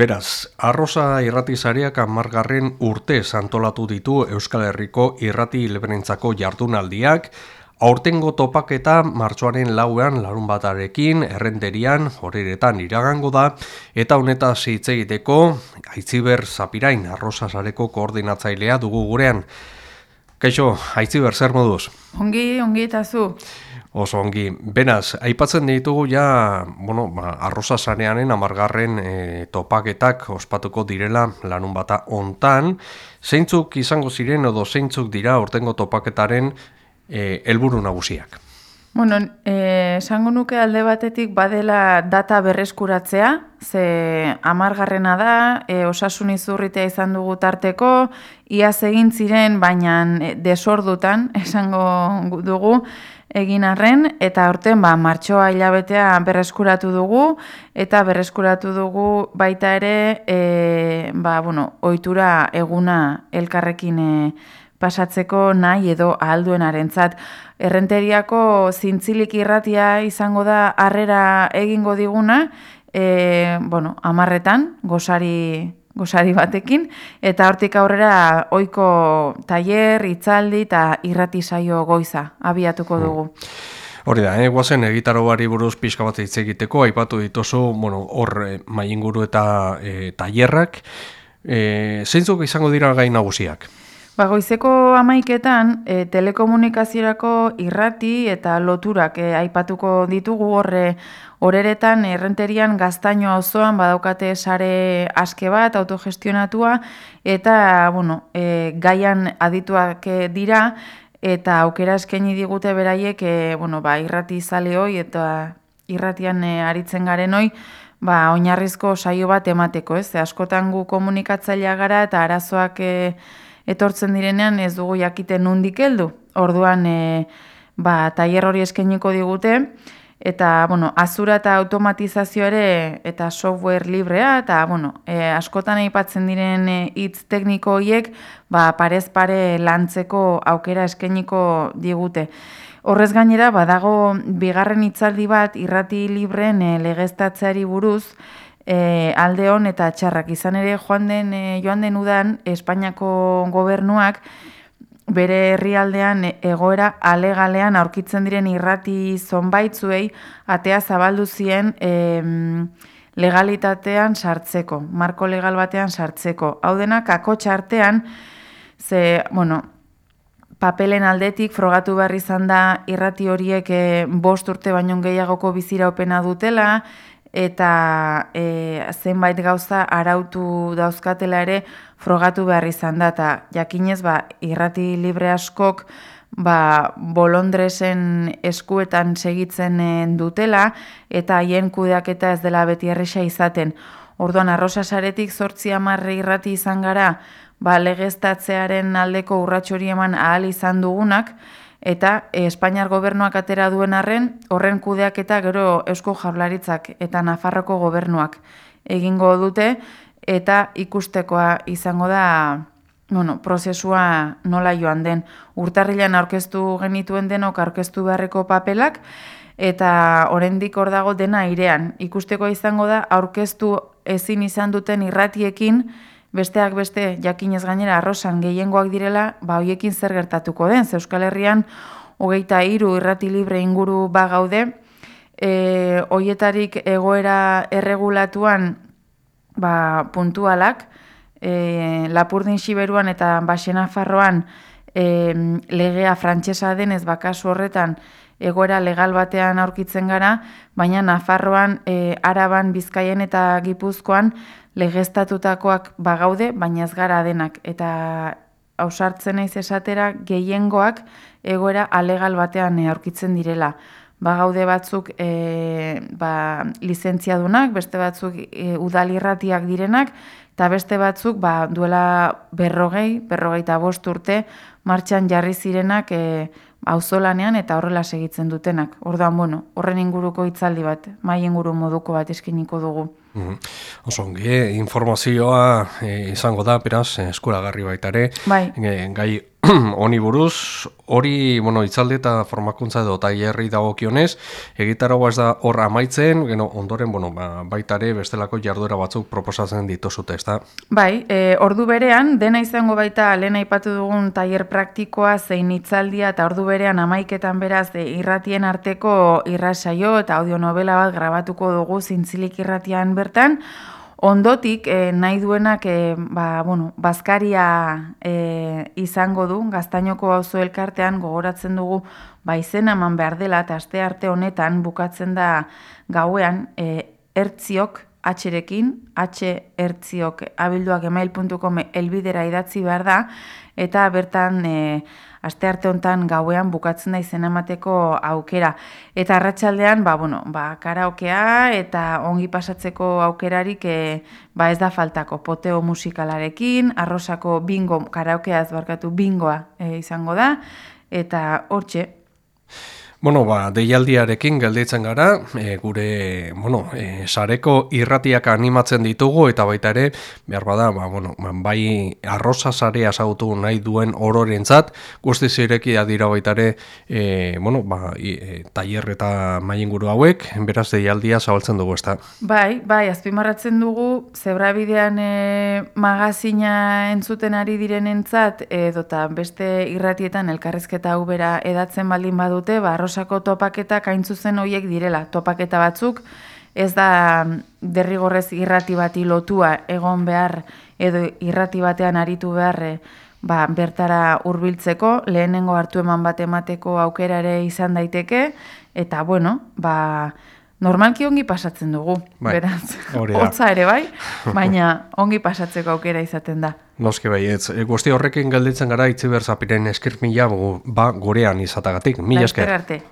Beraz, Arrosa irratizariak 10. urtez antolatu ditu Euskal Herriko irrati elebenentzako jardunaldiak, aurtengo topaketa martxoaren 4 larunbatarekin, Errenterian, Horeretan iragango da, eta honetaz hitz egiteko Aitziber Zapirain, Arrosa sareko koordinatzailea dugu gurean. Kaixo, Aitziber, zer moduz? Ongi eta zu. Oso ongi. Beraz, aipatzen ditugu ja, Arrosa sareanen 10. Topaketak ospatuko direla larunbata hontan. Zeintzuk izango ziren edo zeintzuk dira aurtengo topaketaren helburu nagusiak? Esango nuke alde batetik badela data berreskuratzea, ze 10. da, osasun izurritea izan dugu tarteko, iaz egin ziren, baina desordutan esango dugu egin arren, eta aurten martxoa hilabetea berreskuratu dugu, eta berreskuratu dugu baita ere, ohitura eguna elkarrekin pasatzeko nahi edo ahalduenarentzat. Errenteriako zintzilik irratia izango da harrera egingo diguna, 10. gosari batekin, eta hortik aurrera ohiko tailer, hitzaldi eta irrati saio goiza abiatuko dugu. Hori da, guazen egitaroari buruz pixka bat hitz egiteko, aipatu dituzu, hor mailinguru eta tailerrak, zeintzuk izango dira gai nagusiak? Goizeko 11etan telekomunikaziorako irrati eta loturak aipatuko ditugu Horeretan Errenterian Gaztaino auzoan badaukate sare aske bat autogestionatua eta gaian adituak dira eta aukera eskaini digute beraiek irrati zale hoi eta irratian aritzen garen hoi oinarrizko saio bat emateko, ez? Askotan gu komunikatzailea gara eta arazoak etortzen direnean ez dugu jakiten nondik heldu. Orduan tailer hori eskainiko digute eta azura eta automatizazio ere eta software librea eta askotan aipatzen diren hitz tekniko horiek parez pare lantzeko aukera eskainiko digute. Horrez gainera badago bigarren hitzaldi bat irrati libreen legeztatzeari buruz, alde hon eta txarrak. Izan ere joan den udan Espainiako gobernuak bere herrialdean egoera alegalean aurkitzen diren irrati zonbaitzuei atea zabaldu zien legalitatean sartzeko, marko legal batean sartzeko. Hau denak akotsa artean, papelen aldetik frogatu behar izan da irrati horiek 5 urte baino gehiagoko biziraupena dutela, eta zenbait gauza arautu dauzkatela ere frogatu behar izan da, eta jakinez irrati libre askok bolondresen eskuetan segitzen dutela, eta haien kudeaketa ez dela beti erresa izaten. Orduan Arrosa saretik 8-10 irrati izan gara, legeztatzearen aldeko urrats hori eman ahal izan dugunak, eta Espainiar gobernuak atera duen arren, horren kudeaketa gero Eusko Jaurlaritzak eta Nafarroko gobernuak egingo dute, eta ikustekoa izango da prozesua nola joan den. Urtarrilean aurkeztu genituen denok aurkeztu beharreko papelak, eta oraindik hor dago dena airean. Ikusteko izango da aurkeztu ezin izan duten irratiekin, besteak beste jakinez gainera Arrosan gehiengoak direla, hoiekin zer gertatuko den. Euskal Herrian 23 irrati libre inguru gaude, hoietarik egoera erregulatuan puntualak, Lapurdin Xiberuan eta Baxe Nafarroan legea frantsesa denez kasu horretan egoera legal batean aurkitzen gara, baina Nafarroan, Araban, Bizkaian eta Gipuzkoan legeztatutakoak gaude, baina ez gara denak. Eta ausartzen naiz esatera gehiengoak egoera alegal batean aurkitzen direla. Gaude batzuk lizentziadunak, beste batzuk udalirratiak direnak, eta beste batzuk duela 45 urte martxan jarri zirenak auzolanean eta horrela segitzen dutenak. Orduan, horren inguruko hitzaldi bat, mahai inguru moduko bat eskainiko dugu. Oso ongi, informazioa izango da, beraz, eskuragarri baita ere, gai honi buruz, hori, itzaldi eta formakuntza edo tailerri dagokionez, egitaragoa ez da hor amaitzen, ondoren, baita ere bestelako jarduera batzuk proposatzen dituzute, ezta? Bai, ordu berean, dena izango baita lehen aipatu dugun tailer praktikoa zein hitzaldia eta ordu berean 11etan beraz irratien arteko irratsaio eta audionovela bat grabatuko dugu Zintzilik irratian bertan. Ondotik, nahi duenak, bazkaria izango du, Gaztainoko auzo elkartean gogoratzen dugu, izena eman behar dela, eta astearte honetan bukatzen da gauean, ertziok, H-rekin, ertziok@gmail.com elbidera idatzi behar da, eta bertan astearte honetan gauean bukatzen da izena emateko aukera. Eta arratsaldean, karaokea eta ongi pasatzeko aukerarik ez da faltako. Poteo musikalarekin, Arrosako bingo, karaokea ez barkatu bingoa izango da, eta hortxe. Deialdiarekin gelditzen gara, gure, sareko irratiak animatzen ditugu, eta baita ere, behar bada, bai arrosa sarea ezagutu nahi duen ororentzat, guztiz irekia dira baita ere, tailer eta mailinguru hauek, beraz deialdia zabaltzen dugu, ezta? Bai, azpimarratzen dugu, Zebrabidean magazina entzuten ari direnentzat, edota beste irratietan elkarrizketa hau bera edatzen baldin badute, Arrosako topaketak hain zuzen horiek direla. Topaketa batzuk ez da derrigorrez irrati bati lotua egon behar edo irrati batean aritu behar bertara hurbiltzeko, lehenengo hartu eman bat emateko aukera ere izan daiteke, eta normalki ongi pasatzen dugu, beraz, hotza ere baina ongi pasatzeko aukera izaten da. Noski baietz, guzti horrekin gelditzen gara Itziber Zapiren eskirmila gurean izatagatik. Mila esker. Arte.